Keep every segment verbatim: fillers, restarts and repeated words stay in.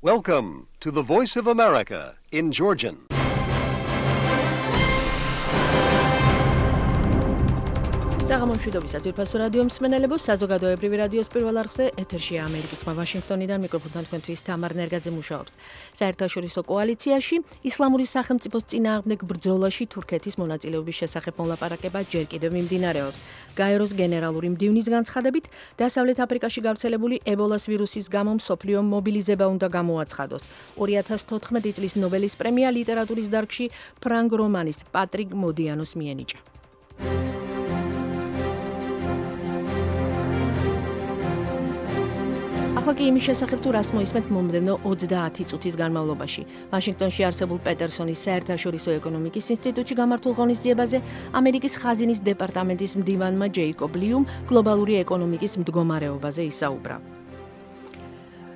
Welcome to the Voice of America in Georgian. საღამომშვიდობისა ძვირფასო რადიო მსმენელებო, საზოგადოებრივი რადიოს პირველ არხზე ეთერშია ამერიკის ხმა ვაშინგტონიდან მიკროფონთან თქვენთვის თამარ ნერგაძე მუშაობს. საერთაშორისო კოალიციაში ისლამური სახელმწიფოს წინააღმდეგ ბრძოლაში თურქეთის მონაწილეობის შესახებ მოლაპარაკება ჯერ კიდევ მიმდინარეობს. გაეროს გენერალური მდივნის განცხადებით, დასავლეთ აფრიკაში გავრცელებული ებოლას ვირუსის გამო მსოფლიო მობილიზება უნდა გამოაცხადოს. ორი ათას თოთხმეტი წლის ნობელის პრემია ლიტერატურის დარგში ფრანგ რომანის პატრიკ მოდიანოს მიენიჭა. ახლა კი იმის შესახებ თუ რას მოისმენთ მომდევნო ოცდაათი წუთის განმავლობაში. ვაშინგტონში არსებულ პეტერსონის საერთაშორისო ეკონომიკის ინსტიტუტში გამართულ ღონისძიებაზე ამერიკის ხაზინის დეპარტამენტის მდივანმა ჯეიკობ ლიუმ გლობალური ეკონომიკის მდგომარეობაზე ისაუბრა.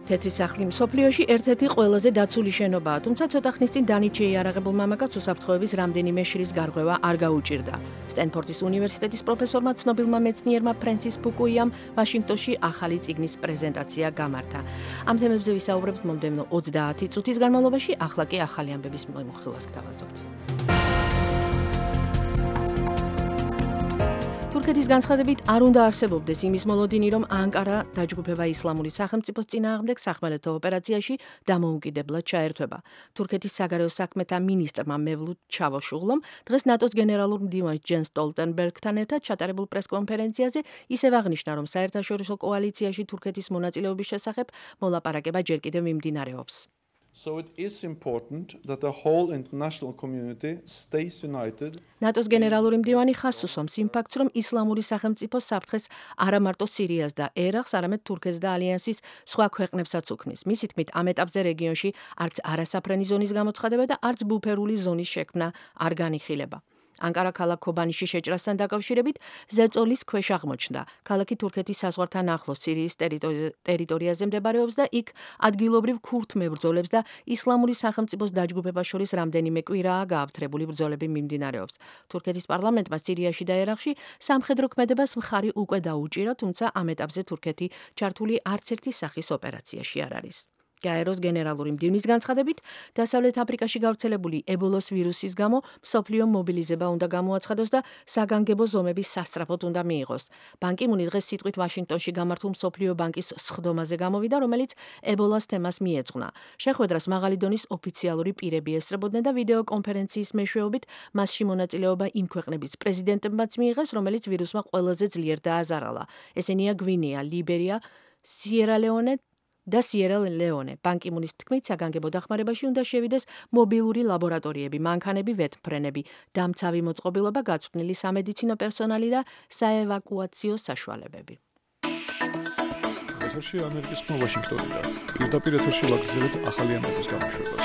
თეთრი სახლი მსოფლიოში ერთ-ერთი ყველაზე დაცული შენობაა, თუმცა ცოტა ხნის წინ დანით შეიარაღებულ მამაკაცს უსაფრთხოების რამდენიმე შრის გარღვევა არ გაუჭირდა. სტენფორდის უნივერსიტეტის პროფესორმა ცნობილმა მეცნიერმა ფრენსის ფუკუიამ ვაშინგტონში ახალი წიგნის პრეზენტაცია გამართა. ამ თემებზე ვისაუბრებთ მომდევნო ოცდაათი წუთის განმავლობაში, ახლა კი ახალი ამბების მოხილვას გთავაზობთ. თურქეთის განცხადებით არ უნდა არსებობდეს იმის მოლოდინი, რომ ანკარა დაჯგუფება ისლამური სახელმწიფოს წინააღმდეგ სახმელეთო ოპერაციაში დამოუკიდებლად ჩაერთვება. თურქეთის საგარეო საქმეთა მინისტრმა მევლութ ჩავოშუღლომ დღეს ნატოს გენერალურ მდივანს ჯენს სტოლტენბერგთან ერთად ჩატარებულ პრესკონფერენციაზე ისევ აღნიშნა, რომ საერთაშორისო კოალიციაში თურქეთის მონაწილეობის შესახებ მოლაპარაკება ჯერ კიდევ მიმდინარეობს. So it is important that the whole international community stays united. ნატოს გენერალური მდივანი ხაზს უსვამს იმ ფაქტს, რომ ისლამური სახელმწიფო საფრთხეს არა მარტო სირიას და ერაყს, არამედ თურქეთს და ალიანსის სხვა ქვეყნებსაც უქმნის. მისი თქმით, ამ ეტაპზე რეგიონში არც არასაფრენი ზონის გამოცხადება და არც ბუფერული ზონის შექმნა არ განიხილება. ანკარა ქალაქ ქობანიში შეჭრასთან დაკავშირებით ზეწოლის ქვეშ აღმოჩნდა. ქალაქი თურქეთის საზღვართან ახლოს სირიის ტერიტორიაზე მდებარეობს და იქ ადგილობრივ ქურთ მებრძოლებს და ისლამური სახელმწიფოს დაჯგუფებას შორის რამდენიმე კვირაა გააფთრებული ბრძოლები მიმდინარეობს. თურქეთის პარლამენტმა სირიაში და ერაყში სამხედრო ქმედებას მხარი უკვე დაუჭირა, თუმცა ამ ეტაპზე თურქეთი ჩართული არც ერთი სახის ოპერაციაში არ არის. გაეროს გენერალური მდივნის განცხადებით, დასავლეთ აფრიკაში გავრცელებული ებოლოს ვირუსის გამო მსოფლიო მობილიზება უნდა გამოაცხადოს და საგანგებო ზომების სასწრაფოდ უნდა მიიღოს. ბან კი მუნი დღეს სიტყვით ვაშინგტონში გამართულ მსოფლიო ბანკის სხდომაზე გამოვიდა, რომელიც ებოლას თემას მიეძღვნა. შეხვედრას მაღალი დონის ოფიციალური პირები ესწრებოდნენ და ვიდეო კონფერენციის მეშვეობით მასში მონაწილეობა იმ ქვეყნების პრეზიდენტებმაც მიიღეს, რომელიც ვირუსმა ყველაზე ძლიერ დააზარალა. ესენია გვინეა, ლიბერია, სიერა-ლეონე და სიერა-ლეონე. ბან კი მუნის თქმით, საგანგებო დახმარებაში უნდა შევიდეს მობილური ლაბორატორიები, მანქანები, ვეთმფრენები, დამცავი მოწყობილობა, გაწვრთნილი სამედიცინო პერსონალი და საევაკუაციო საშუალებები. ეთერში ამერიკის ხმა ვაშინგტონიდან. პირდაპირ ეთერში ვაგრძელებთ ახალი ამბების გამოშვებას.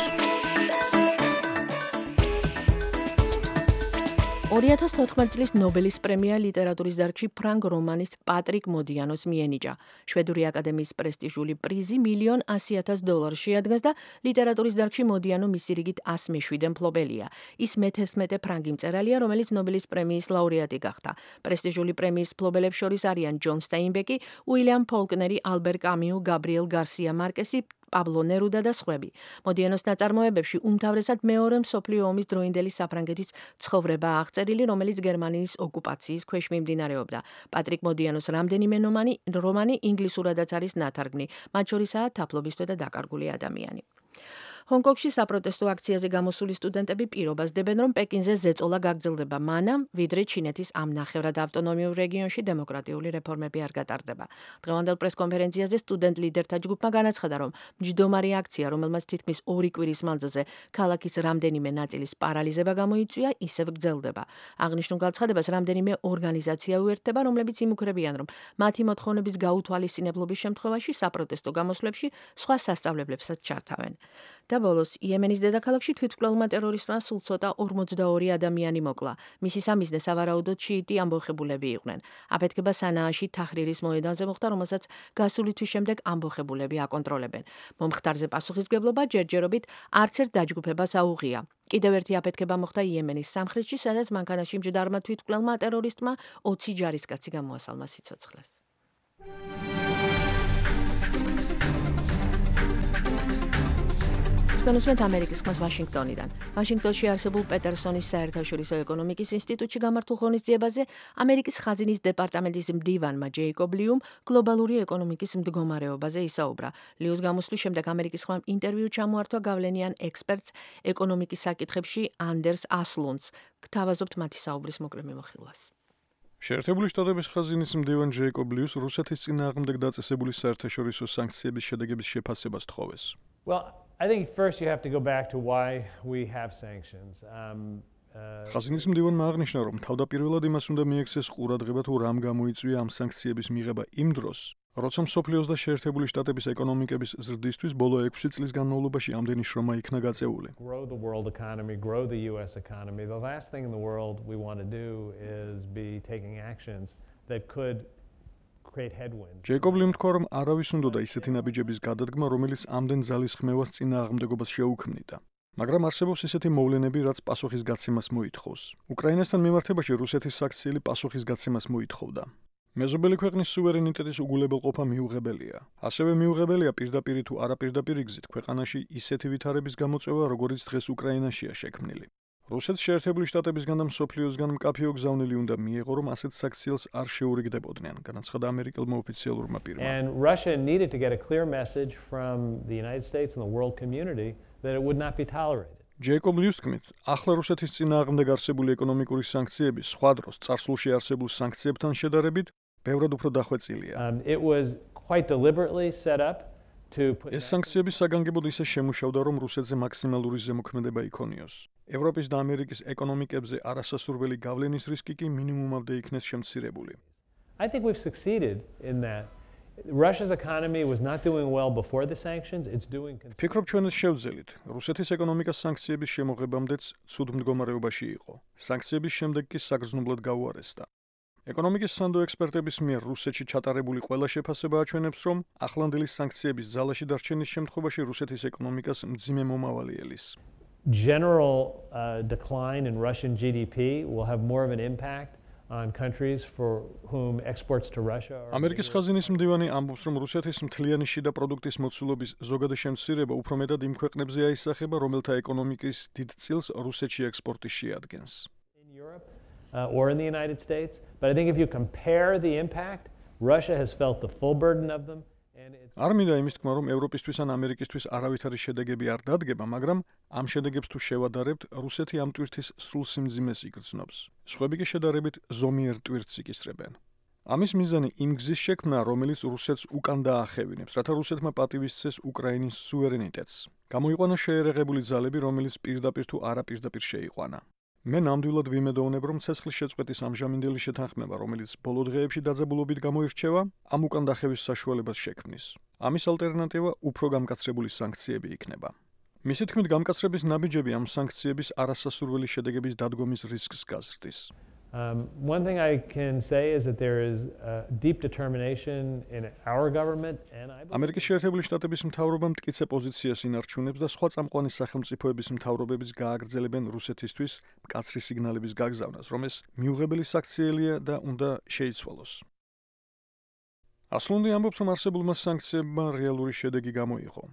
ორი ათას თოთხმეტი წლის ნობელის პრემია ლიტერატურის დარგში ფრანგ რომანის პატრიკ მოდიანოს მიენიჭა. შვედური აკადემიის პრესტიჟული პრიზი მილიონ ასი ათას დოლარს შეადგენს და ლიტერატურის დარგში მოდიანო მისი რიგით ას მეშვიდე მფლობელია. ის მეთერთმეტე ფრანგი მწერალია, რომელიც ნობელის პრემიის ლაურეატი გახდა. პრესტიჟული პრემიის მფლობელებს შორის არიან ჯონ სტაინბეკი, უილიამ ფოლკნერი, ალბერ კამიუ, გაბრიელ გარსია მარკესი, პაბლო ნერუდა და სხვები. მოდიანოს ნაწარმოებებში უმთავრესად მეორე მსოფლიო ომის დროინდელი საფრანგეთის ცხოვრება აღწერილი, რომელიც გერმანიის ოკუპაციის ქვეშ მიმდინარეობდა. პატრიკ მოდიანოს რამდენიმე რომანი ინგლისურადაც არის ნათარგმნი, მათ შორისაა თაფლობისთვის და დაკარგული ადამიანი. ჰონგ-კონგში საპროტესტო აქციაზე გამოსული სტუდენტები პირობას დებენ, რომ პეკინზე ზეწოლა გაგრძელდება მანამ, ვიდრე ჩინეთის ამ ნახევრად ავტონომიურ რეგიონში დემოკრატიული რეფორმები არ გატარდება. დღევანდელ პრესკონფერენციაზე სტუდენტ ლიდერთა ჯგუფმა განაცხადა, რომ მჯდომარი აქცია, რომელმაც თითქმის ორი კვირის მანძილზე ქალაქის რამდენიმე ნაწილის პარალიზება გამოიწვია, ისევ გრძელდება. აღნიშნულ განცხადებას რამდენიმე ორგანიზაცია უერთდება, რომლებიც იმუქრებიან, რომ მათი მოთხოვნების გაუთვალისწინებლობის შემთხვევაში საპროტესტო გამოსვლებში სხვა სასწავლებლებსაც ჩართავენ. და ბოლოს იემენის დედაქალაქში თვითმკვლელმა ტერორისტმა სულ ცოტა ორმოცდაორი ადამიანი მოკლა. მისი სამიზნე სავარაუდოდ შიიტი ამბოხებულები იყვნენ. აფეთქება სანააში თაჰრირის მოედანზე მოხდა, რომელსაც გასული თვის შემდეგ ამბოხებულები აკონტროლებენ. მომხდარზე პასუხისმგებლობა ჯერჯერობით არც ერთ დაჯგუფებას აუღია. კიდევ ერთი აფეთქება მოხდა იემენის სამხრეთში, სადაც მანქანაში მჯდარმა თვითმკვლელმა ტერორისტმა ოცი ჯარისკაცი გამოასალმა სიცოცხლეს. თქვენოსმეთ ამერიკის ხმას ვაშინგტონიდან. ვაშინგტონში არსებულ პეტერსონის საერთაშორისო ეკონომიკის ინსტიტუტში გამართულ ღონისძიებაზე ამერიკის ხაზინის დეპარტამენტის მდივანმა ჯეიკობ ლიუმ გლობალური ეკონომიკის მდგომარეობაზე ისაუბრა. ლიუს გამოსვლის შემდეგ ამერიკის ხმამ ინტერვიუ ჩამოართვა გავლენიან ექსპერტს ეკონომიკის საკითხებში ანდერს ასლუნდს. გთავაზობთ მათი საუბრის მოკლე მიმოხილვას. შეერთებული შტატების ხაზინის მდივან ჯეიკობ ლიუს რუსეთის წინააღმდეგ დაწესებული საერთაშორისო სანქციების შედეგების შეფასებას თხოვეს. Well, I think first you have to go back to why we have sanctions. Um, uh, ხაზინის მდივანმა აღნიშნა, რომ თავდაპირველად იმას უნდა მიექცეს ყურადღება თუ რამ გამოიწვია ამ სანქციების მიღება იმ დროს, როცა მსოფლიოს და შეერთებული შტატების ეკონომიკების ზრდისთვის ბოლო ექვსი წლის განმავლობაში ამდენი შრომა იქნა გაწეული. grow the world economy, grow the U S economy. The last thing in the world we want to do is be taking actions that could create headwinds. ჯეიკობ ლიუმ თქვა, რომ არავის უნდოდა ისეთი ნაბიჯების გადადგმა, რომელიც ამდენ ძალის ხმევას წინააღმდეგობას შეუქმნიდა. მაგრამ არსებობს ისეთი მოვლენები, რაც პასუხისგაცემას მოითხოვს. უკრაინასთან მიმართებაში რუსეთის საქციელი პასუხისგაცემას მოითხოვდა. მეზობელი ქვეყნის სუვერენიტეტის უგულებელყოფა მიუღებელია. ასევე მიუღებელია პირდაპირ თუ არაპირდაპირ გზით ქვეყანაში ისეთი ვითარების გამოწვევა, როგორიც დღეს უკრაინაშია შექმნილი. რუსეთს შეერთებული შტატებისგან და მსოფლიოსგან მკაფიო გზავნილი უნდა მიეღო, რომ ასეთ საქციელს არ შეურიგდებოდნენ, განაცხადა ამერიკელმა ოფიციალურმა პირმა. And Russia needed to get a clear message from the United States and the world community that it would not be tolerated. ჯეიკობ ლიუს თქმით, ახლა რუსეთის წინააღმდეგ არსებული ეკონომიკური სანქციები სხვა დროს წარსულში არსებულ სანქციებთან შედარებით ბევრად უფრო დახვეწილია. Um, it was quite deliberately set up to put ეს სანქციები საგანგებოდ ისე შემუშავდა, რომ რუსეთზე მაქსიმალური ზემოქმედება იქონიოს. ევროპის და ამერიკის ეკონომიკებზე არასასურველი გავლენის რისკი კი მინიმუმამდე იქნეს შემცირებული. I think we've succeeded in that. Russia's economy was not doing well before the sanctions. It's doing ფიქრობ ჩვენ ეს შევძელით. რუსეთის ეკონომიკა სანქციების შემოღებამდეც ცუდ მდგომარეობაში იყო. სანქციების შემდეგ კი საგრძნობლად გაუარესდა. ეკონომიკის სანდო ექსპერტების მიერ რუსეთში ჩატარებული ყველა შეფასება აჩვენებს, რომ ახლანდელი სანქციების ძალაში დარჩენის შემთხვევაში რუსეთის ეკონომიკას მძიმე მომავალი ელის. General uh, decline in Russian G D P will have more of an impact on countries for whom exports to Russia are ამერიკის ხაზინის მდივანი ამბობს, რომ რუსეთის მთლიანი შიდა პროდუქტის მოცულობის ზოგადი შემცირება უფრო მეტად იმ ქვეყნებზე აისახება, რომელთა ეკონომიკის დიდ წილს რუსეთში ექსპორტი შეადგენს. in Europe uh, or in the United States, but I think if you compare the impact, Russia has felt the full burden of them. არ მინდა იმის თქმა, რომ ევროპისთვის ან ამერიკისთვის არავითარი შედეგები არ დადგება, მაგრამ ამ შედეგებს თუ შევადარებთ, რუსეთი ამ ტვირთის სრულ სიმძიმეს იგრძნობს. სხვები კი შედარებით ზომიერ ტვირთს იკისრებენ. ამის მიზანი იმ გზის შექმნა, რომელიც რუსეთს უკან დაახევინებს, რათა რუსეთმა პატივისცეს უკრაინის სუვერენიტეტს. გამოიყვანა შეერაღებული ძალები, რომელიც პირდაპირ თუ არაპირდაპირ შეიყვანა. მე ნამდვილად ვიმედოვნებ, რომ ცეცხლის შეწყვეტის ამჟამინდელი შეთანხმება, რომელიც ბოლო დღეებში დაძაბულობით გამოირჩევა, ამ უკან დახევის საშუალებას შექმნის. ამის ალტერნატივა უფრო გამკაცრებული სანქციები იქნება. მისი თქმით, გამკაცრების ნაბიჯები ამ სანქციების არასასურველი შედეგების დადგომის რისკს გაზრდის. Um, one thing I can say is that there is a deep determination in our government and I believe ამერიკის შეერთებული შტატების მთავრობა მტკიცე პოზიციას ინარჩუნებს და სხვა წამყვანი სახელმწიფოების მთავრობებიც გააგრძელებენ რუსეთისთვის მკაცრი სიგნალების გაგზავნას, რომ ეს მიუღებელი საქციელია და უნდა შეიცვალოს. ასლუნდი ამბობს, რომ არსებულმა სანქციებმა რეალური შედეგი გამოიღო.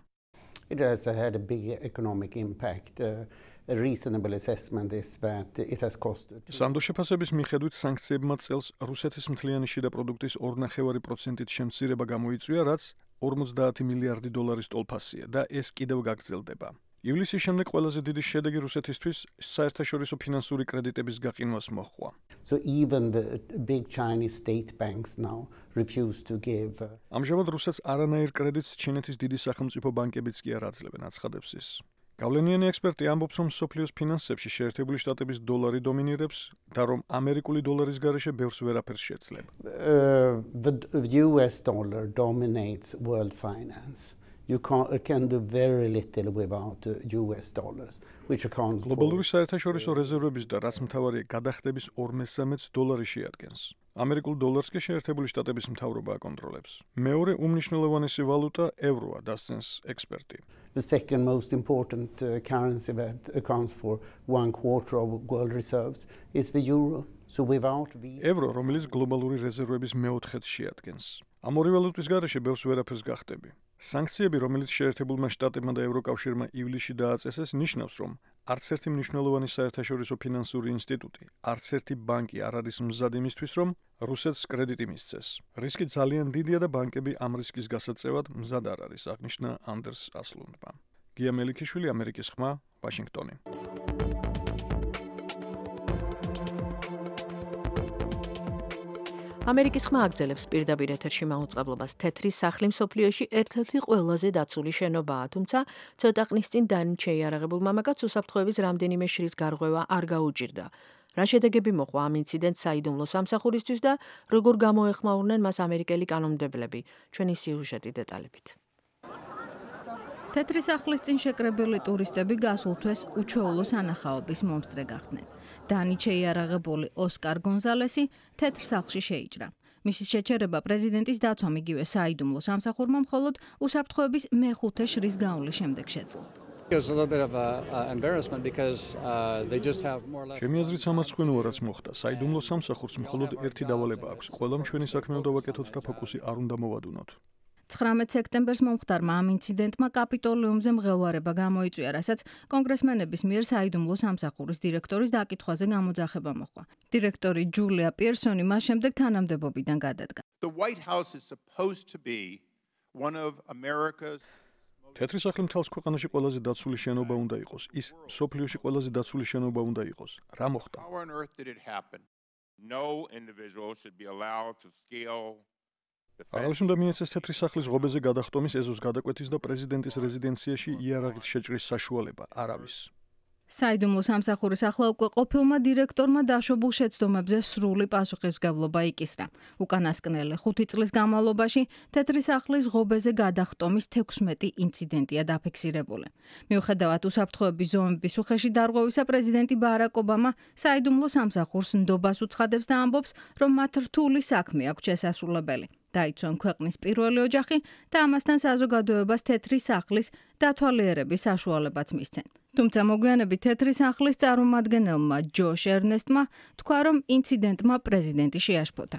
It has had a big economic impact. Uh, A reasonable assessment is that it has costed. სანდო შეფასების მიხედვით სანქციებმა წელს რუსეთის მთლიანი შიდა პროდუქტის ორ-ნახევარი პროცენტით შემცირება გამოიწვია, რაც ორმოცდაათი მილიარდი დოლარის ტოლფასია და ეს კიდევ გაგრძელდება. ივლისის შემდეგ ყველაზე დიდი შედეგი რუსეთისთვის საერთაშორისო ფინანსური კრედიტების გაყინვას მოჰყვა. So even the big Chinese state banks now refuse to give. ამჟამად რუსეთს არანაირ კრედიტს ჩინეთის დიდი სახელმწიფო ბანკებიც კი არ აძლევენ, აცხადებს ის. გავლენიანი ექსპერტი ამბობს, რომ მსოფლიოს ფინანსებში შეერთებული შტატების დოლარი დომინირებს და რომ ამერიკული დოლარის გარეშე ბევრს ვერაფერს შეძლება. Uh, the U S dollar dominates world finance. You can, can do very little without uh, U S dollars, which accounts for. გლობალური საერთაშორისო რეზერვების და რაც მთავარია გადახდების ორ მესამედს დოლარი შეადგენს. ამერიკულ დოლარს კი შეერთებული შტატების მთავრობა აკონტროლებს. მეორე უმნიშვნელოვანესი ვალუტა ევროა, დასცენს ექსპერტი. The second most important uh, currency that accounts for one quarter of world reserves is the euro. So without these ევრო, რომელიც გლობალური რეზერვების მეოთხედს შეადგენს. ამ ორი ვალუტის გარეშე ბევრს ვერაფერს გახდები. სანქციები, რომელიც შეერთებულმა შტატებმა და ევროკავშირმა ივლისში დააწესეს, ნიშნავს, რომ არც ერთი მნიშვნელოვანი საერთაშორისო ფინანსური ინსტიტუტი, არც ერთი ბანკი არ არის მზად იმისთვის, რომ რუსეთს კრედიტი მისცეს. რისკი ძალიან დიდია და ბანკები ამ რისკის გასაწევად მზად არ არის, აღნიშნა ანდერს ასლუნდმა. გია მელიქიშვილი, ამერიკის ხმა, ვაშინგტონი. ამერიკის ხმა აგრძელებს პირდაპირ ეთერში მაუწყებლობას. თეთრი სახლი მსოფლიოში ერთ-ერთი ყველაზე დაცული შენობაა, თუმცა ცოტა ხნის წინ დანით შეიარაღებულ მამაკაცს უსაფრთხოების რამდენიმე შრის გარღვევა არ გაუჭირდა. რა შედეგები მოყვა ამ ინციდენტს საიდუმლო სამსახურისთვის და როგორ გამოეხმაურნენ მას ამერიკელი კანონმდებლები? ჩვენი სიუჟეტი დეტალებით. თეთრი სახლის წინ შეკრებილი ტურისტები გასულ თვეს უჩვეულო სანახაობის მომსწრე გახდნენ. დანით შეიარაღებული ოსკარ გონზალესი თეთრ სახლში შეიჭრა. მისი შეჩერება პრეზიდენტის დაცვამ იგივე საიდუმლო სამსახურმა მხოლოდ უსაფრთხოების მეხუთე შრის გავლის შემდეგ შეძლო. ჩემი აზრით სამარცხვინოა რაც მოხდა. საიდუმლო სამსახურს მხოლოდ ერთი დავალება აქვს. ყველა მშვენი საქმე უნდა ვაკეთოთ და ფოკუსი არ უნდა მოვადუნოთ. ცხრამეტ სექტემბერს მომხდარმა ამ ინციდენტმა კაპიტოლიუმზე მღელვარება გამოიწვია, რასაც კონგრესმენების მიერ საიდუმლო სამსახურის დირექტორის დაკითხვაზე გამოძახება მოჰყვა. დირექტორი ჯულია პირსონი მას შემდეგ თანამდებობიდან გადადგა. თეთრი სახლი მთელს ქვეყანაში ყველაზე დაცული შენობა უნდა იყოს. ის მსოფლიოში ყველაზე დაცული შენობა უნდა იყოს. რა მოხდა? არავის უნდა მიეცეს თეთრი სახლის ღობეზე გადახტომის, ეზოს გადაკვეთის და პრეზიდენტის რეზიდენციაში იარაღით შეჭრის საშუალება. არავის. საიდუმლო სამსახურის ახლა უკვე ყოფილმა დირექტორმა დაშვებულ შეცდომებზე სრული პასუხისმგებლობა იკისრა. უკანასკნელი ხუთი წლის განმავლობაში თეთრი სახლის ღობეზე გადახტომის თექვსმეტი ინციდენტია დაფიქსირებული. მიუხედავად უსაფრთხოების ზომების უხეში დარღვევისა, პრეზიდენტი ბარაკ ობამა საიდუმლო სამსახურს ნდობას უცხადებს და ამბობს, რომ მათ რთული საქმე აქვს შესასრულებელი. დაიცვან ქვეყნის პირველი ოჯახი და ამასთან საზოგადოებას თეთრი სახლის დათვალიერების საშუალებაც მისცენ. თუმცა მოგვიანებით თეთრი სახლის წარმომადგენელმა ჯოშ ერნესტმა თქვა, რომ ინციდენტმა პრეზიდენტი შეაშფოთა.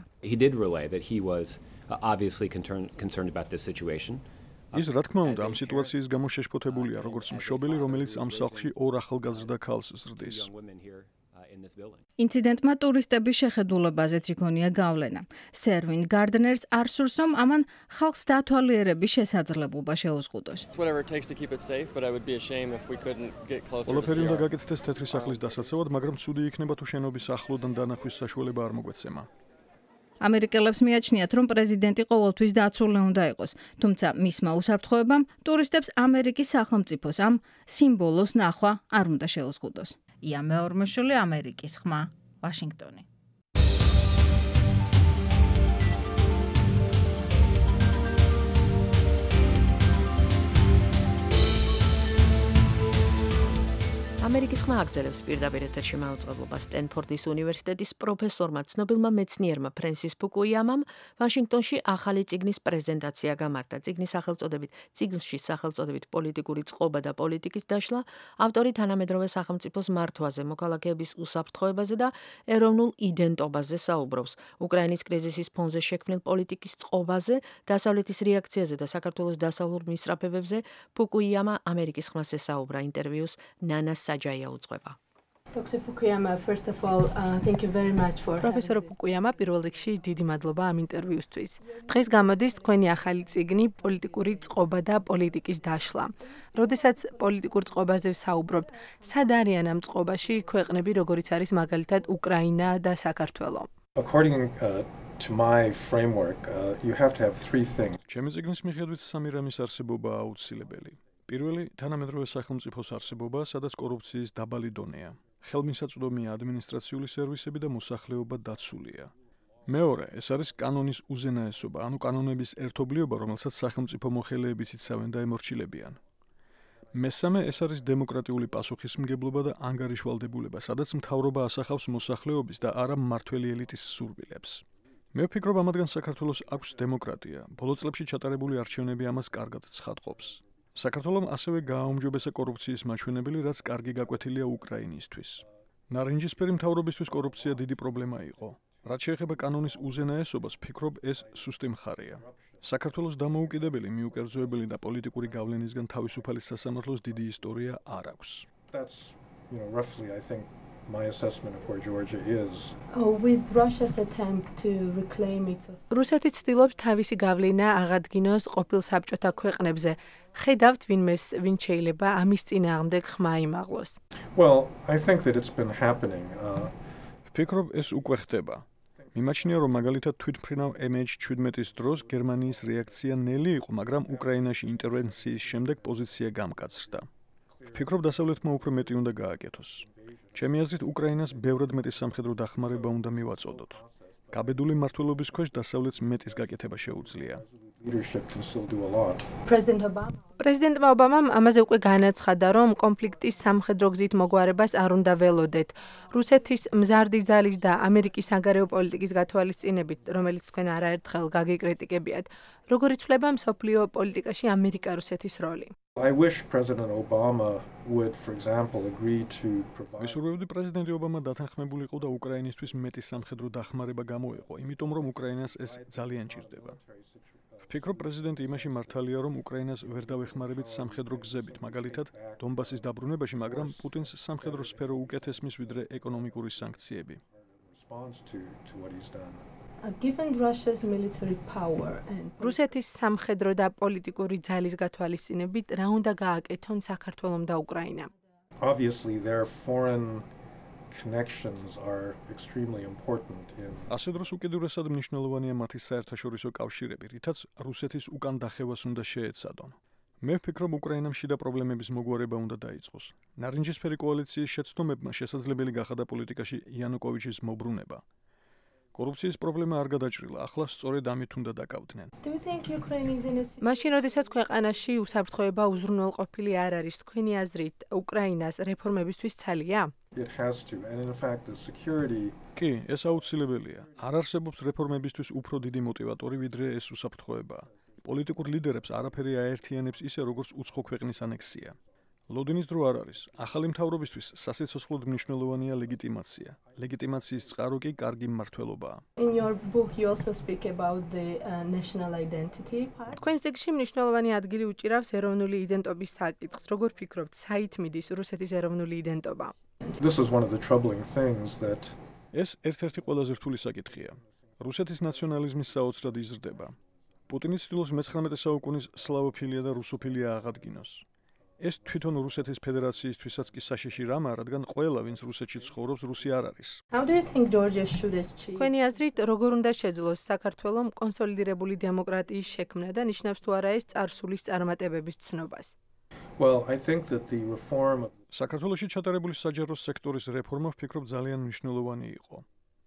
ის რა თქმა უნდა ამ სიტუაციის გამო შეშფოთებულია, როგორც მშობელი, რომელიც ამ სახლში ორ ახალგაზრდა ქალს ზრდის. ინციდენტმა ტურისტების შეხედულებაზეც იქონია გავლენა. სერვინ გარდნერს არ სურს, რომ ამან ხალხს დათვალიერების შესაძლებლობა შეუზღუდოს. ყველაფერი უნდა გაკეთდეს თეთრი სახლის დასაცავად, მაგრამ ცუდი იქნება თუ შენობის ახლოდან დანახვის საშუალება არ მოგვეცემა. ამერიკელებს მიაჩნიათ, რომ პრეზიდენტი ყოველთვის დაცული უნდა იყოს, თუმცა მისმა უსაფრთხოებამ ტურისტებს ამერიკის სახელმწიფოს ამ სიმბოლოს ნახვა არ უნდა შეუზღუდოს. ია მეორმოშვილი, ამერიკის ხმა, ვაშინგტონი. ამერიკის ხმა აგრძელებს პირდაპირ ეთერში მაუწყებლობას. სტენფორდის უნივერსიტეტის პროფესორმა, ცნობილმა მეცნიერმა ფრენსის ფუკუიამამ ვაშინგტონში ახალი წიგნის პრეზენტაცია გამართა. წიგნის სახელწოდებით წიგნში სახელწოდებით პოლიტიკური წყობა და პოლიტიკის დაშლა, ავტორი თანამედროვე სახელმწიფოს მართვაზე, მოქალაქეების უსაფრთხოებაზე და ეროვნულ იდენტობაზე საუბრობს. უკრაინის კრიზისის ფონზე შექმნილ პოლიტიკის წყობაზე, დასავლეთის რეაქციაზე და საქართველოს დასავლურ მისწრაფებებზე ფუკუიამა ამერიკის ხმას ესაუბრა. ინტერვიუს ნანა საჯაია უძღვება. პროფესორო ფუკუიამა, პირველ რიგში დიდი მადლობა ამ ინტერვიუსთვის. დღეს გამოდის თქვენი ახალი წიგნი პოლიტიკური წყობა და პოლიტიკის დაშლა. როდესაც პოლიტიკურ წყობაზე ვსაუბრობთ, სად არიან ამ წყობაში ქვეყნები, როგორიც არის მაგალითად უკრაინა და საქართველო? ჩემი წიგნის მიხედვით სამი რამის არსებობა აუცილებელი. პირველი, თანამედროვე სახელმწიფოს არსებობა, სადაც კორუფციის დაბალი დონეა. ხელმისაწვდომია ადმინისტრაციული სერვისები და მოსახლეობა დაცულია. მეორე, ეს არის კანონის უზენაესობა, ანუ კანონების ერთობლიობა, რომელსაც სახელმწიფო მოხელეებიც იცავენ და ემორჩილებიან. მესამე, ეს არის დემოკრატიული პასუხისმგებლობა და ანგარიშვალდებულება, სადაც მთავრობა ასახავს მოსახლეობის და არა მმართველი ელიტის სურვილებს. მე ვფიქრობ, ამათგან საქართველოს აქვს დემოკრატია. ბოლო წლებში ჩატარებული არჩევნები ამას კარგად ცხადყოფს. საქართველომ ასევე გააუმჯობესა კორუფციის მაჩვენებელი, რაც კარგი გაკვეთილია უკრაინისთვის. ნარინჯისფერი მთავრობისთვის კორუფცია დიდი პრობლემა იყო. რაც შეეხება კანონის უზენაესობას, ვფიქრობ, ეს სუსტი მხარეა. საქართველოს დამოუკიდებელი, მიუკერძოებელი და პოლიტიკური გავლენისგან თავისუფალი სასამართლოს დიდი ისტორია არ აქვს. That's, you know, roughly, I think, my assessment of where Georgia is. Oh, with Russia's attempt to reclaim its რუსეთი ცდილობს თავისი გავლენა აღადგინოს ყოფილ საბჭოთა ქვეყნებზე. ხედავთ ვინმეს, ვინც შეიძლება ამის წინააღმდეგ ხმა იმაღლოს. Well, I think that it's been happening. Uh, ვფიქრობ, ეს უკვე ხდება. მიმაჩნია, რომ მაგალითად თვითმფრინავ ემ ეიჩ seventeen დროს გერმანიის რეაქცია ნელი იყო, მაგრამ უკრაინაში ინტერვენციის შემდეგ პოზიცია გამკაცრდა. ვფიქრობ, დასავლეთმა უფრო მეტი უნდა გააკეთოს. ჩემი აზრით, უკრაინას ბევრად მეტი სამხედრო დახმარება უნდა მივაწოდოთ. გაბედული მმართველობის ქვეშ დასავლეთს მეტის გაკეთება შეუძლია. პრეზიდენტმა ობამამ ამაზე უკვე განაცხადა, რომ კონფლიქტის სამხედრო გზით მოგვარებას არ უნდა ველოდეთ. რუსეთის მზარდი ძალის და ამერიკის საგარეო პოლიტიკის გათვალისწინებით, რომელიც თქვენ არაერთხელ გაგეკრიტიკებიათ, როგორ იცვლება მსოფლიო პოლიტიკაში ამერიკა-რუსეთის როლი? I wish President Obama would, for example, agree to provide. ვისურვებდი პრეზიდენტი ობამა დათანხმებულიყო და უკრაინისთვის მეტი სამხედრო დახმარება გამოეყო, იმიტომ რომ უკრაინას ეს ძალიან ჭირდება. ვფიქრობ, პრეზიდენტი იმაში მართალია, რომ უკრაინას ვერ დავეხმარებით სამხედრო გზებით, მაგალითად, დონბასის დაბრუნებაში, მაგრამ პუტინს სამხედრო სფერო უკეთესმის ვიდრე ეკონომიკური სანქციები. Given Russia's military power and რუსეთის სამხედრო და პოლიტიკური ძალის გათვალისწინებით, რა უნდა გააკეთონ საქართველომ და უკრაინამ? Obviously, their foreign connections are extremely important in. ასე დროს უკიდურესად მნიშვნელოვანია მათი საერთაშორისო კავშირები, რითაც რუსეთის უკან დახევას უნდა შეეცადონ. მე ვფიქრობ, უკრაინამ შიდა პრობლემების მოგვარება უნდა დაიწყოს. ნარინჯისფერი კოალიციის შეცდომებმა შესაძლებელი გახადა პოლიტიკაში იანუკოვიჩის მობრუნება. კორუფციის პრობლემა არ გადაჭრილა, ახლა სწორედ ამით უნდა დაკავდნენ. მაშინ, როდესაც ქვეყანაში უსაფრთხოება უზრუნველყოფილი არ არის, თქვენი აზრით, უკრაინას რეფორმებისთვის ცალია? It has to, and in fact, the security. კი, ეს აუცილებელია. არ არსებობს რეფორმებისთვის უფრო დიდი მოტივატორი, ვიდრე ეს უსაფრთხოება. პოლიტიკურ ლიდერებს არაფერი აერთიანებს ისე, როგორც უცხო ქვეყნის ანექსია. ლოდინის დრო არ არის. ახალი მთავრობისთვის სასიცოცხლოდ მნიშვნელოვანია ლეგიტიმაცია. ლეგიტიმაციის წყარო კი კარგი მმართველობაა. In your book you also speak about the uh, national identity part. თქვენ წიგნში მნიშვნელოვანი ადგილი უჭირავს ეროვნული იდენტობის საკითხს. როგორ ფიქრობთ, საით მიდის რუსეთის ეროვნული იდენტობა? This is one of the troubling things that ეს ერთ-ერთი ყველაზე რთული საკითხია. რუსეთის ნაციონალიზმის საოცრად იზრდება. პუტინი ცდილობს მეცხრამეტე საუკუნის სლავოფილია და რუსოფილია აღადგინოს. ეს თვითონ რუსეთის ფედერაციისთვისაც კი საშიში რამაა, რადგან ყველა, ვინც რუსეთში ცხოვრობს, რუსი არ არის. How do you think Georgia should achieve? თქვენი აზრით, როგორ უნდა შეძლოს საქართველოს კონსოლიდირებული დემოკრატიის შექმნა და ნიშნავს თუ არა ეს წარსულის წარმატებების ცნობას? Well, I think that the reform of საქართველოში ჩატარებული საჯარო სექტორის რეფორმა ვფიქრობ ძალიან მნიშვნელოვანი იყო.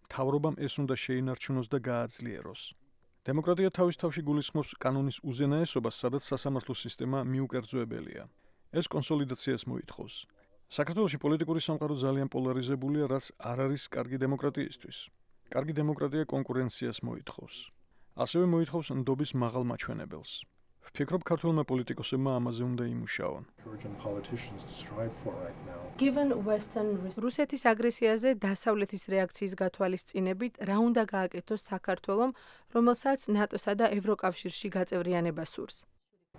მთავრობამ ეს უნდა შეინარჩუნოს და გააძლიეროს. დემოკრატია თავის თავში გულისხმობს კანონის უზენაესობას, სადაც სასამართლო სისტემა მიუკერძოებელია. ეს კონსოლიდაციას მოითხოვს. საქართველოში პოლიტიკური სამყარო ძალიან პოლარიზებულია, რაც არ არის კარგი დემოკრატიისთვის. კარგი დემოკრატია კონკურენციას მოითხოვს. ასევე მოითხოვს ნდობის მაღალ მაჩვენებელს. ვფიქრობ, ქართველმა პოლიტიკოსებმა ამაზე უნდა იმუშაონ. რუსეთის აგრესიაზე დასავლეთის რეაქციის გათვალისწინებით, რა უნდა გააკეთოს საქართველომ, რომელსაც ნატოსა და ევროკავშირში გაწევრიანება სურს?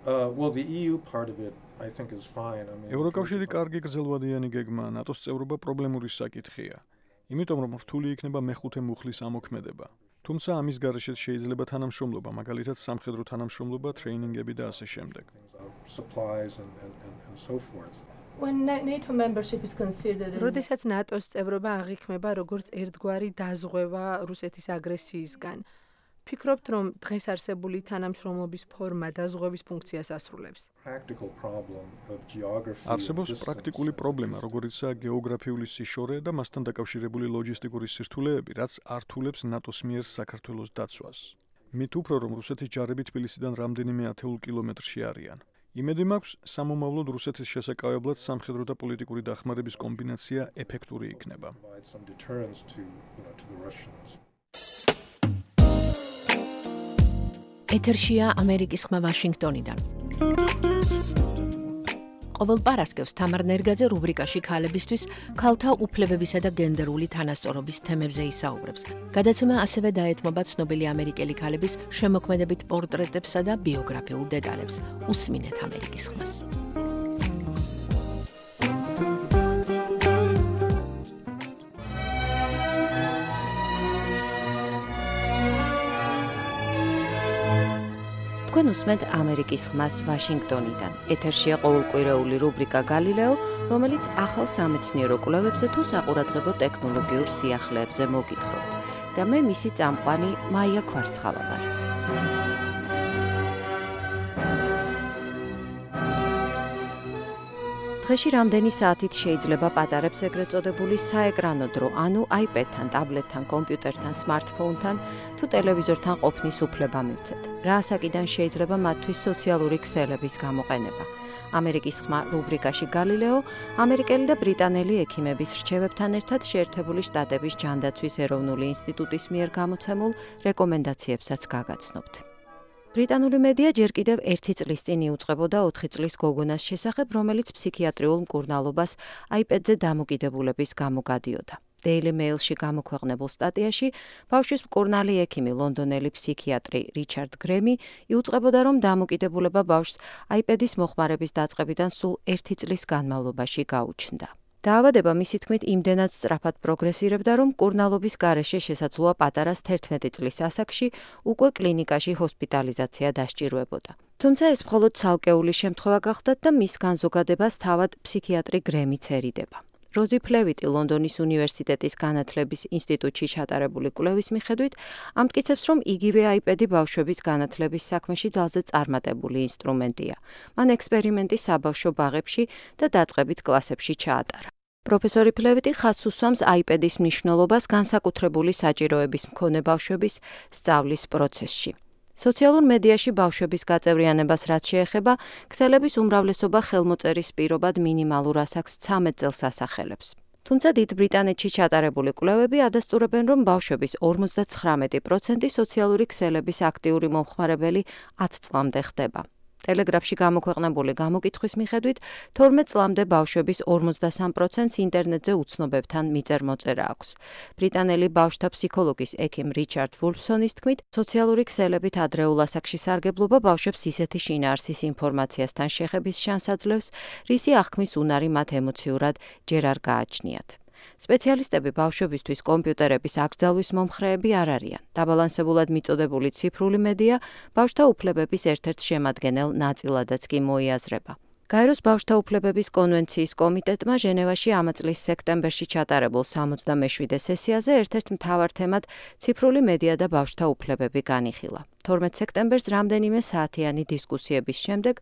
Uh, well, the E U part of it, I think, is fine. I mean, ევროკავშირი კარგი გრძელვადიანი გეგმაა, ნატოს წევრობა პრობლემური საკითხია. იმიტომ რომ რთული იქნება მეხუთე მუხლის ამოქმედება. თუმცა ამის გარეშეც შეიძლება თანამშრომლობა, მაგალითად სამხედრო თანამშრომლობა, ტრეინინგები და ასე შემდეგ. supplies and, and, and, and so forth. When NATO membership is considered როდესაც ნატოს წევრობა აღიქმება როგორც ერთგვარი დაზღვევა რუსეთის აგრესიისგან, ფიქრობთ, რომ დღეს არსებული თანამშრომლობის ფორმა დაზღვევის ფუნქციას ასრულებს? არსებობს პრაქტიკული პრობლემა, როგორიცაა გეოგრაფიული სიშორე და მასთან დაკავშირებული ლოჯისტიკური სირთულეები, რაც ართულებს ნატოს მიერ საქართველოს დაცვას. მით უფრო, რომ რუსეთის ჯარები თბილისიდან რამდენიმე ათეულ კილომეტრში არიან. იმედი მაქვს, სამომავლოდ რუსეთის შესაკავებლად სამხედრო და პოლიტიკური დახმარების კომბინაცია ეფექტური იქნება. ეთერშია ამერიკის ხმა ვაშინგტონიდან. ყოველ პარასკევს თამარ ნერგაძე რუბრიკაში ქალებისთვის ქალთა უფლებებისა და გენდერული თანასწორობის თემებზე ისაუბრებს. გადაცემა ასევე დაეთმობა ცნობილი ამერიკელი ქალების შემოქმედებით პორტრეტებსა და ბიოგრაფიულ დეტალებს. უსმინეთ ამერიკის ხმას. თქვენ უსმენთ ამერიკის ხმას ვაშინგტონიდან. ეთერშია ყოველკვირეული რუბრიკა გალილეო, რომელიც ახალ სამეცნიერო კვლევებზე თუ საყურადღებო ტექნოლოგიურ სიახლეებზე მოგითხრობთ. და მე მისი წამყვანი მაია ქვარცხავა ვარ. დღეში რამდენი საათით შეიძლება პატარებს ეგრეთ წოდებული საეკრანო დრო, ანუ აიპედთან, ტაბლეტთან, კომპიუტერთან, სმარტფონთან თუ ტელევიზორთან ყოფნის უფლება მივცეთ. რა ასაკიდან შეიძლება მათთვის სოციალური ქსელების გამოყენება. ამერიკის ხმა რუბრიკაში გალილეო, ამერიკელი და ბრიტანელი ექიმების რჩევებთან ერთად შეერთებული შტატების ჯანდაცვის ეროვნული ინსტიტუტის მიერ გამოცემულ რეკომენდაციებსაც გაგაცნობთ. ბრიტანული მედია ჯერ კიდევ ერთი წლის წინ იუწყებოდა ოთხი წლის გოგონას შესახებ, რომელიც ფსიქიატრიულ მკურნალობას აიპედზე დამოკიდებულების გამო გადიოდა. Daily Mail-ში გამოქვეყნებულ სტატიაში ბავშვის მკურნალი ექიმი ლონდონელი ფსიქიატრი რიჩარდ გრემი იუწყებოდა, რომ დამოკიდებულება ბავშვს აიპედის მოხმარების დაწყებიდან სულ ერთი წლის განმავლობაში გაუჩნდა. დაავადება მისი თქმით იმდენად სწრაფად პროგრესირებდა, რომ მკურნალობის გარეშე შესაძლოა პატარას თერთმეტი წლის ასაკში უკვე კლინიკაში ჰოსპიტალიზაცია დასჭირვებოდა. თუმცა ეს მხოლოდ ცალკეული შემთხვევა გახდათ და მის განზოგადებას თავად ფსიქიატრი გრემი ცერიდება. როზი ფლევიტი ლონდონის უნივერსიტეტის განათლების ინსტიტუტში ჩატარებული კვლევის მიხედვით ამტკიცებს, რომ იგივე აიპედი ბავშვების განათლების საქმეში ძალზე წარმატებული ინსტრუმენტია. მან ექსპერიმენტი საბავშვო ბაღებში და დაწყებით კლასებში ჩაატარა. პროფესორი ფლევიტი ხაზს უსვამს აიპედის მნიშვნელობას განსაკუთრებული საჭიროების მქონე ბავშვების სწავლის პროცესში. სოციალურ მედიაში ბავშვების გაწევრიანებას რაც შეეხება, ქსელების უმრავლესობა ხელმოწერის პირობად მინიმალურ ასაკს ცამეტ წელს ასახელებს. თუმცა დიდ ბრიტანეთში ჩატარებული კვლევები ადასტურებენ, რომ ბავშვების ორმოცდაცხრამეტი პროცენტი სოციალური ქსელების აქტიური მომხმარებელი ათ წლამდე ხდება. ტელეგრაფში გამოქვეყნებული გამოკითხვის მიხედვით, თორმეტ წლამდე ბავშვების ორმოცდასამ პროცენტს ინტერნეტზე უცნობებთან მიწერ-მოწერა აქვს. ბრიტანელი ბავშვთა ფსიქოლოგის ექიმ რიჩარდ ვულფსონის თქმით, სოციალური ქსელებით ადრეულ ასაკში სარგებლობა ბავშვებს ისეთი შინაარსის ინფორმაციასთან შეხების შანსს აძლევს, რისი აღქმის უნარი მათ ემოციურად ჯერ არ გააჩნიათ. სპეციალისტები ბავშვებისთვის კომპიუტერების აკრძალვის მომხრეები არ არიან. დაბალანსებულად მიწოდებული ციფრული მედია ბავშვთა უფლებების ერთ-ერთ შემადგენელ ნაწილადაც კი მოიაზრება. გაეროს ბავშვთა უფლებების კონვენციის კომიტეტმა ჟენევაში ამა წლის სექტემბერში ჩატარებულ სამოცდამეშვიდე სესიაზე ერთ-ერთ მთავარ თემად ციფრული მედია და ბავშვთა უფლებები განიხილა. თორმეტ სექტემბერს რამდენიმე საათიანი დისკუსიების შემდეგ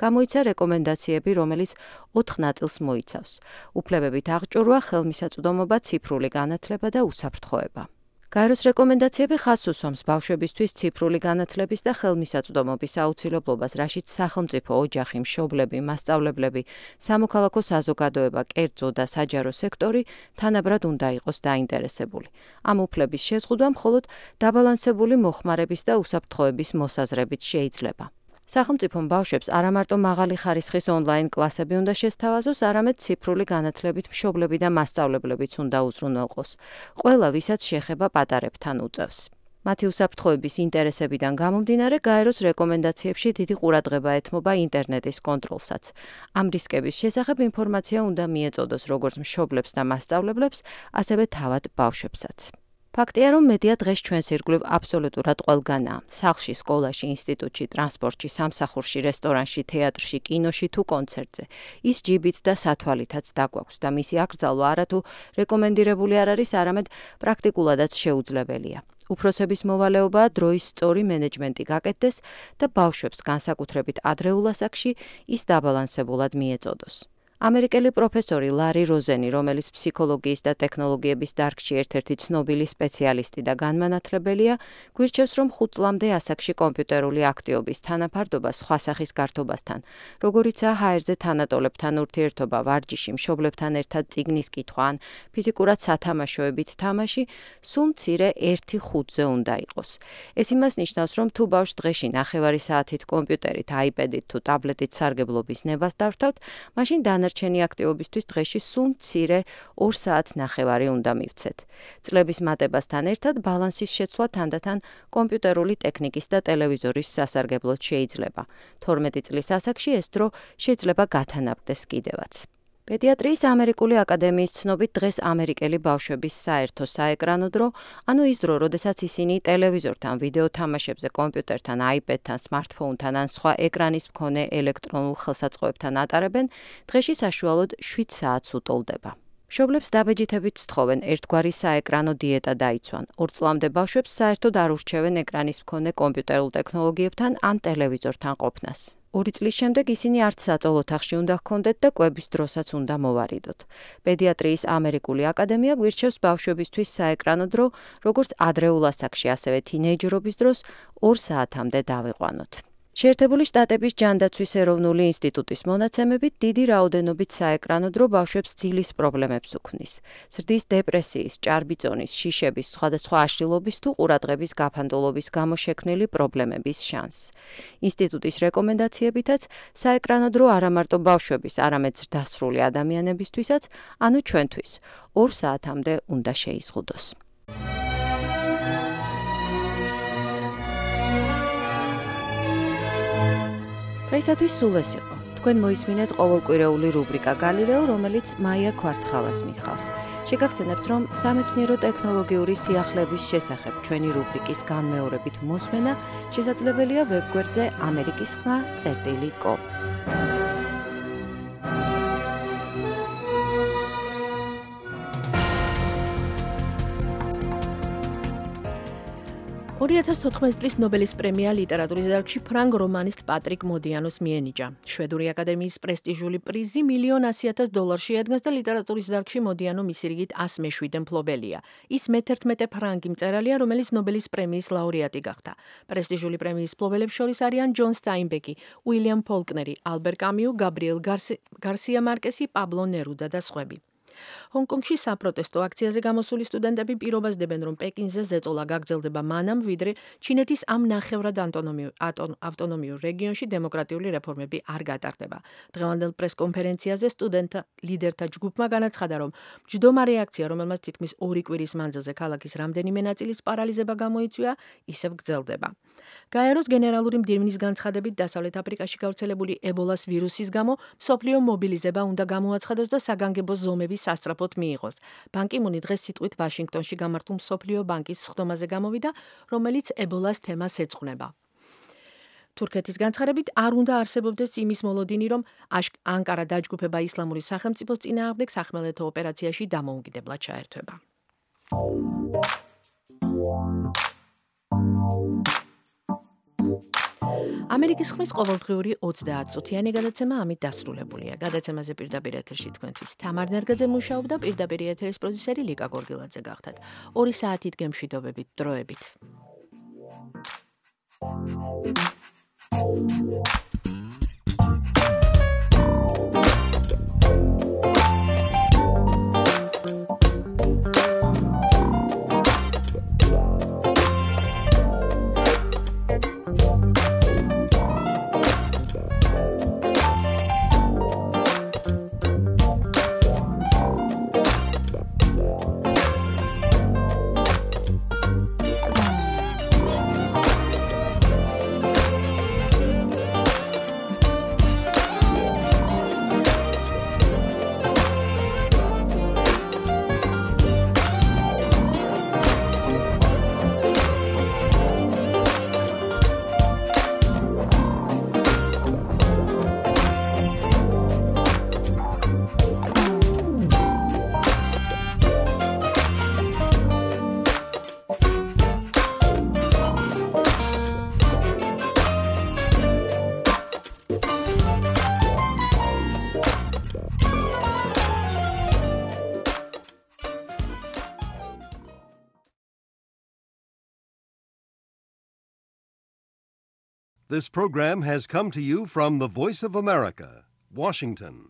გამოიცა რეკომენდაციები, რომელიც ოთხ ნაწილს მოიცავს. უფლებებით აღჭურვა, ხელმისაწვდომობა, ციფრული განათლება და უსაფრთხოება. გაეროს რეკომენდაციები ხაზს უსვამს ბავშვებისთვის ციფრული განათლების და ხელმისაწვდომობის აუცილებლობას, რაშიც სახელმწიფო, ოჯახი, მშობლები, მასწავლებლები, სამოქალაქო საზოგადოება, კერძო და საჯარო სექტორი თანაბრად უნდა იყოს დაინტერესებული. ამ უფლების შეზღუდვა მხოლოდ დაბალანსებული მოხმარების და უსაფრთხოების მოსაზრებით შეიძლება. სახელმწიფომ ბავშვებს არა მარტო მაღალი ხარისხის ონლაინ კლასები უნდა შესთავაზოს, არამედ ციფრული განათლებით მშობლები და მასწავლებლებიც უნდა უზრუნველყოს. ყველა, ვისაც შეხება პატარებთან უწევს. მათი უსაფრთხოების ინტერესებიდან გამომდინარე, გაეროს რეკომენდაციებში დიდი ყურადღება ეთმობა ინტერნეტის კონტროლსაც. ამ რისკების შესახებ ინფორმაცია უნდა მიეწოდოს როგორც მშობლებს და მასწავლებლებს, ასევე თავად ბავშვებსაც. ფაქტია, რომ მედია დღეს ჩვენს ირგვლივ აბსოლუტურად ყველგანაა. სახლში, სკოლაში, ინსტიტუტში, ტრანსპორტში, სამსახურში, რესტორანში, თეატრში, კინოში თუ კონცერტზე. ის ჯიბით და სათვალითაც დაგვაქვს და მისი აკრძალვა არათუ რეკომენდირებული არ არის, არამედ პრაქტიკულადაც შეუძლებელია. უფროსების მოვალეობაა დროის სწორი მენეჯმენტი გაკეთდეს და ბავშვებს განსაკუთრებით ადრეულ ასაკში ის დაბალანსებულად მიეწოდოს. ამერიკელი პროფესორი ლარი როზენი, რომელიც ფსიქოლოგიის და ტექნოლოგიების დარგში ერთ-ერთი ცნობილი სპეციალისტი და განმანათლებელია, გვირჩევს, რომ ხუთ წლამდე ასაკში კომპიუტერული აქტივობის თანაფარდობა სხვა სახის გართობასთან, როგორიცაა ჰაერზე თანატოლებთან ურთიერთობა, ვარჯიში, მშობლებთან ერთად წიგნის კითხვა ან ფიზიკურად სათამაშოებით თამაში, სულ მცირე ერთი ხუთზე უნდა იყოს. ეს იმას ნიშნავს, რომ თუ ბავშვს დღეში ნახევარი საათით კომპიუტერით, აიპედით თუ ტაბლეტით სარგებლობის ნებას დავთავთ, მაშინ დანარჩენი აქტივობისთვის დღეში სულ მცირე ორ საათ ნახევარი უნდა მივცეთ. წლების მატებასთან ერთად ბალანსის შეცვლა თანდათან კომპიუტერული ტექნიკის და ტელევიზორის სასარგებლოდ შეიძლება. თორმეტი წლის ასაკში ეს დრო შეიძლება გათანაბრდეს კიდევაც. პედიატრიის ამერიკული აკადემიის ცნობით დღეს ამერიკელი ბავშვების საერთო საეკრანო დრო, ანუ ის დრო, როდესაც ისინი ტელევიზორთან, ვიდეო თამაშებზე, კომპიუტერთან, აიპედთან, სმარტფონთან ან სხვა ეკრანის მქონე ელექტრონულ ხელსაწყოებთან ატარებენ, დღეში საშუალოდ შვიდ საათს უტოლდება. მშობლებს დაბეჯითებით სთხოვენ ერთგვარი საეკრანო დიეტა დაიცვან. ორ წლამდე ბავშვებს საერთოდ არ ურჩევენ ეკრანის მქონე კომპიუტერულ ტექნოლოგიებთან ან ტელევიზორთან ყოფნას. ორი წლის შემდეგ ისინი არც საწოლ ოთახში უნდა ჰქონდეთ და კვების დროსაც უნდა მოვარიდოთ. პედიატრიის ამერიკული აკადემია გვირჩევს ბავშვებისთვის საეკრანო დრო, როგორც ადრეულ ასაკში, ასევე თინეიჯერობის დროს ორ საათამდე დავიყვანოთ. შეერთებული შტატების ჯანდაცვის ეროვნული ინსტიტუტის მონაცემებით დიდი რაოდენობით საეკრანო დრო ბავშვებს ძილის პრობლემებს უქმნის. ზრდის დეპრესიის, ჭარბიწონის, შიშების, სხვადასხვა აშლილობის თუ ყურადღების გაფანტულობის გამო შექმნილი პრობლემების შანსს. ინსტიტუტის რეკომენდაციებითაც საეკრანო დრო არა მარტო ბავშვების, არამედ ზრდასრული ადამიანებისთვისაც, ანუ ჩვენთვის, ორ საათამდე უნდა შეიზღუდოს. დღეისათვის სულ ეს იყო. თქვენ მოისმინეთ ყოველკვირეული რუბრიკა გალილეო, რომელიც მაია ქვარცხალას მიხავს. შეგახსენებთ, რომ სამეცნიერო ტექნოლოგიური სიახლეების შესახებ ჩვენი რუბრიკის განმეორებით მოსმენა შესაძლებელია ვებგვერდზე ამერიკის ხმა წერტილი კომ. ორი ათას თოთხმეტი წლის ნობელის პრემია ლიტერატურის დარგში ფრანგ რომანისტ პატრიკ მოდიანოს მიენიჭა. შვედური აკადემიის პრესტიჟული პრიზი მილიონ ასი ათას დოლარს შეადგენს და ლიტერატურის დარგში მოდიანო მისი რიგით ას მეშვიდე მფლობელია. ის მეთერთმეტე ფრანგი მწერალია, რომელიც ნობელის პრემიის ლაურეატი გახდა. პრესტიჟული პრემიის მფლობელებს შორის არიან ჯონ სტაინბეკი, უილიამ ფოლკნერი, ალბერ კამიუ, გაბრიელ გარსია მარკესი, პაბლო ნერუდა და სხვები. ჰონკონგში საპროტესტო აქციაზე გამოსული სტუდენტები პირობას დებენ, რომ პეკინზე ზეწოლა გაგრძელდება მანამ, ვიდრე ჩინეთის ამ ნახევრად ავტონომიურ რეგიონში დემოკრატიული რეფორმები არ გატარდება. დღევანდელ პრესკონფერენციაზე სტუდენტთა ლიდერთა ჯგუფმა განაცხადა, რომ მჯდომარე აქცია, რომელმაც თითქმის ორი კვირის მანძილზე ქალაქის რამდენიმე ნაწილის პარალიზება გამოიწვია, ისევ გრძელდება. გაეროს გენერალური მდივნის განცხადებით, დასავლეთ აფრიკაში გავრცელებული ებოლას ვირუსის გამო მსოფლიო მობილიზება უნდა გამოაცხადოს და საგანგებო ზომების სასწრაფოდ მიიღოს. ბან კი მუნი დღეს სიტყვით ვაშინგტონში გამართულ მსოფლიო ბანკის სხდომაზე გამოვიდა, რომელიც ებოლას თემას ეძღვნება. თურქეთის განცხადებით არ უნდა არსებობდეს იმის მოლოდინი, რომ ანკარა დაჯგუფება ისლამური სახელმწიფოს წინააღმდეგ სახმელეთო ოპერაციაში დამოუკიდებლად ჩაერთვება. ამერიკის ხმის ყოველდღიური ოცდაათწუთიანი გადაცემა ამით დასრულებულია. გადაცემაზე პირდაპირ ეთერში თქვენთვის თამარ ნერგაძე მუშაობდა, პირდაპირ ეთერის პროდიუსერი ლიკა გორგილაძე გახდათ. ორი საათით გემშვიდობებით, დროებით. This program has come to you from the Voice of America, Washington.